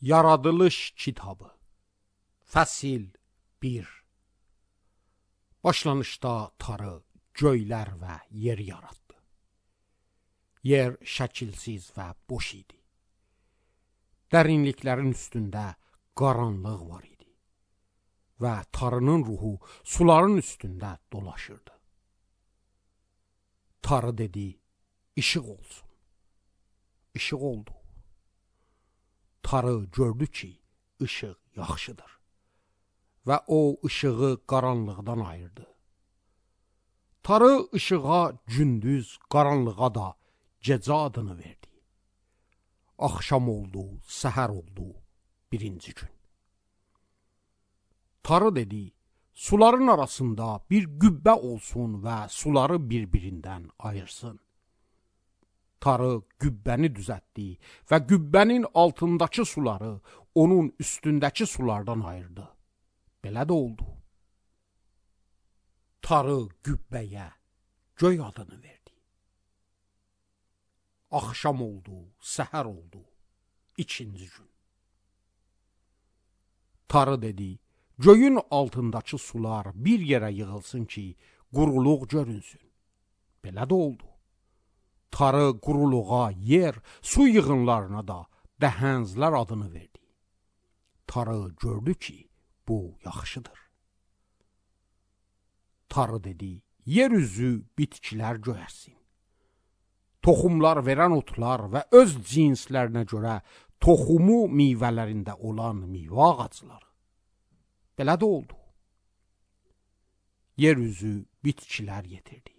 Yaradılış kitabı Fəsil 1. Başlanışda Tanrı göylər və yer yaratdı. Yer şəkilsiz və boş idi. Dərinliklərin üstündə qaranlıq var idi. Və Tanrının ruhu suların üstündə dolaşırdı. Tanrı dedi, işıq olsun. İşıq oldu. Tanrı gördü ki, ışıq yaxşıdır. Və o ışığı qaranlıqdan ayırdı. Tanrı ışığa gündüz, qaranlığa da gecə adını verdi. Axşam oldu, səhər oldu, birinci gün. Tanrı dedi, suların arasında bir qübbə olsun və suları bir-birindən ayırsın. Tanrı qübbəni düzəltdi və qübbənin altındakı suları onun üstündəki sulardan ayırdı. Belə də oldu. Tanrı qübbəyə göy adını verdi. Axşam oldu, səhər oldu, ikinci gün. Tanrı dedi, göyün altındakı sular bir yerə yığılsın ki, quruluq görünsün. Belə də oldu. Tanrı quruluğa yer, su yığınlarına da dəhənclər adını verdi. Tanrı gördü ki, bu yaxşıdır. Tanrı dedi, yer üzü bitkilər göyərsin. Toxumlar verən otlar və öz cinslərinə görə toxumu meyvələrində olan meyvə ağacları. Belə də oldu. Yer üzü bitkilər yetirdi.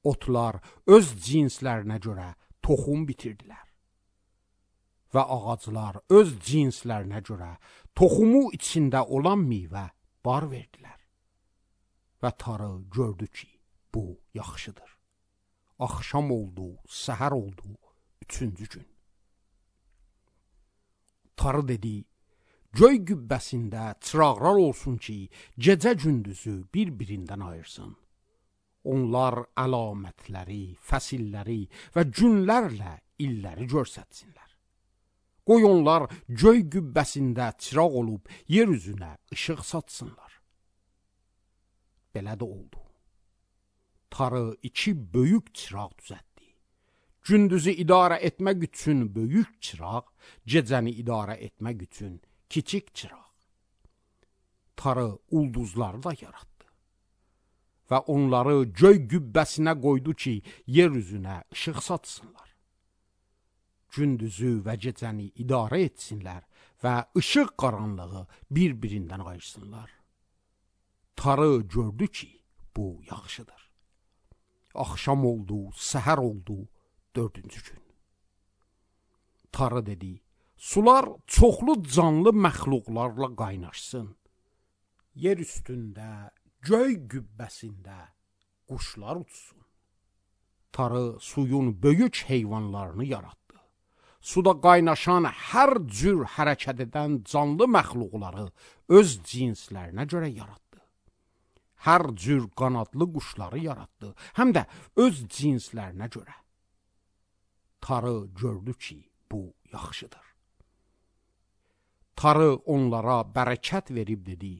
Otlar öz cinslərinə görə toxum bitirdilər. Və ağaclar öz cinslərinə görə toxumu içində olan meyvə bar verdilər. Və Tanrı gördü ki, bu yaxşıdır. Axşam oldu, səhər oldu, üçüncü gün. Tanrı dedi, göy qübbəsində çıraqlar olsun ki, gecə gündüzü bir-birindən ayırsın. Onlar əlamətləri, fəsilləri və günlərlə illəri görsətsinlər. Qoy onlar göy qübbəsində çıraq olub yer üzünə işıq saçsınlar. Belə də oldu. Tanrı iki böyük çıraq düzəltdi. Gündüzü idarə etmək üçün böyük çıraq, gecəni idarə etmək üçün kiçik çıraq. Tanrı ulduzları da yaratdı. Və onları göy qübbəsinə qoydu ki, yer üzünə işıq saçsınlar. Gündüzü və gecəni idarə etsinlər və işıq qaranlığı bir-birindən ayırsınlar. Tanrı gördü ki, bu yaxşıdır. Axşam oldu, səhər oldu, dördüncü gün. Tanrı dedi, sular çoxlu canlı məxluqlarla qaynaşsın. Yer üstündə, göy qübbəsində quşlar uçsun. Tanrı suyun böyük heyvanlarını yaratdı. Suda qaynaşan hər cür hərəkət edən canlı məxluqları öz cinslərinə görə yaratdı. Hər cür qanadlı quşları yaratdı, həm də öz cinslərinə görə. Tanrı gördü ki, bu yaxşıdır. Tanrı onlara bərəkət verib dedi,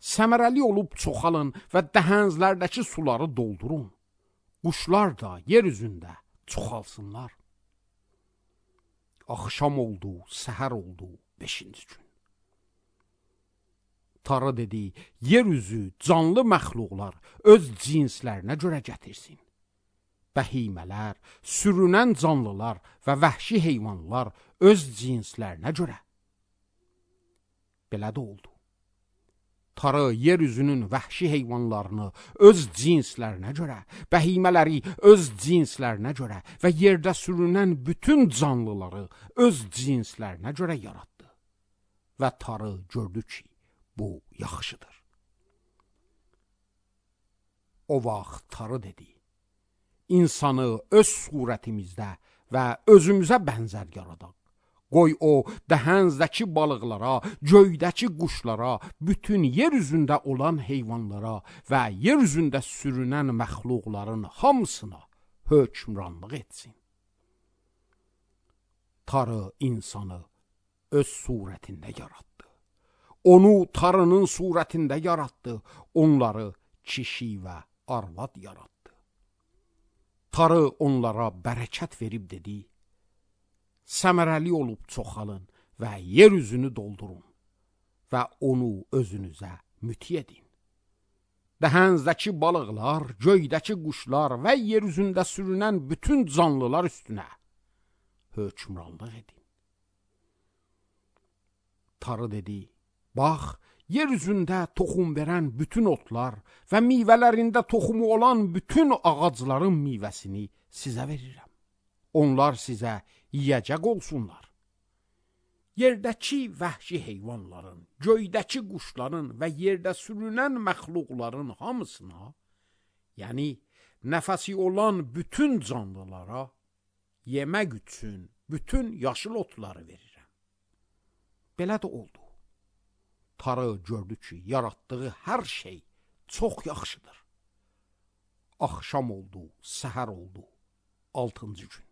səmərəli olub çoxalın və dəhənclərdəki suları doldurun. Quşlar da yer üzündə çoxalsınlar. Axşam oldu, səhər oldu, beşinci gün. Tanrı dedi, yer üzü canlı məxluqlar öz cinslərinə görə gətirsin. Bəhimələr, sürünən canlılar və vəhşi heyvanlar öz cinslərinə görə. Belə də oldu. Tanrı yer üzünün vəhşi heyvanlarını öz cinslərinə görə, bəhimələri öz cinslərinə görə və yerdə sürünən bütün canlıları öz cinslərinə görə yaratdı. Və Tanrı gördü ki, bu yaxşıdır. O vaxt Tanrı dedi, İnsanı öz surətimizdə və özümüzə bənzər yaradaq. Qoy o, dəhənzdəki balıqlara, göydəki quşlara, bütün yer üzündə olan heyvanlara və yer üzündə sürünən məxluqların hamısına hökmranlıq etsin. Tanrı insanı öz surətində yaratdı. Onu tarının surətində yaratdı. Onları kişi və arvad yaratdı. Tarı onlara bərəkət verib dedi: səmərəli olub çoxalın və yer üzünü doldurun və onu özünüzə müti edin. Dəhənizdəki balıqlar, göydəki quşlar və yer üzündə sürünən bütün canlılar üstünə hökmranlıq edin. Tarı dedi: bax, yer üzündə toxum verən bütün otlar və meyvələrində toxumu olan bütün ağacların meyvəsini sizə verirəm. Onlar sizə yiyəcək olsunlar. Yerdəki vəhşi heyvanların, göydəki quşların və yerdə sürünən məxluqların hamısına, yəni nəfəsi olan bütün canlılara yemək üçün bütün yaşıl otları verirəm. Belə də oldu. Tarı gördü ki, yaratdığı hər şey çox yaxşıdır. Axşam oldu, səhər oldu, 6-cı gün.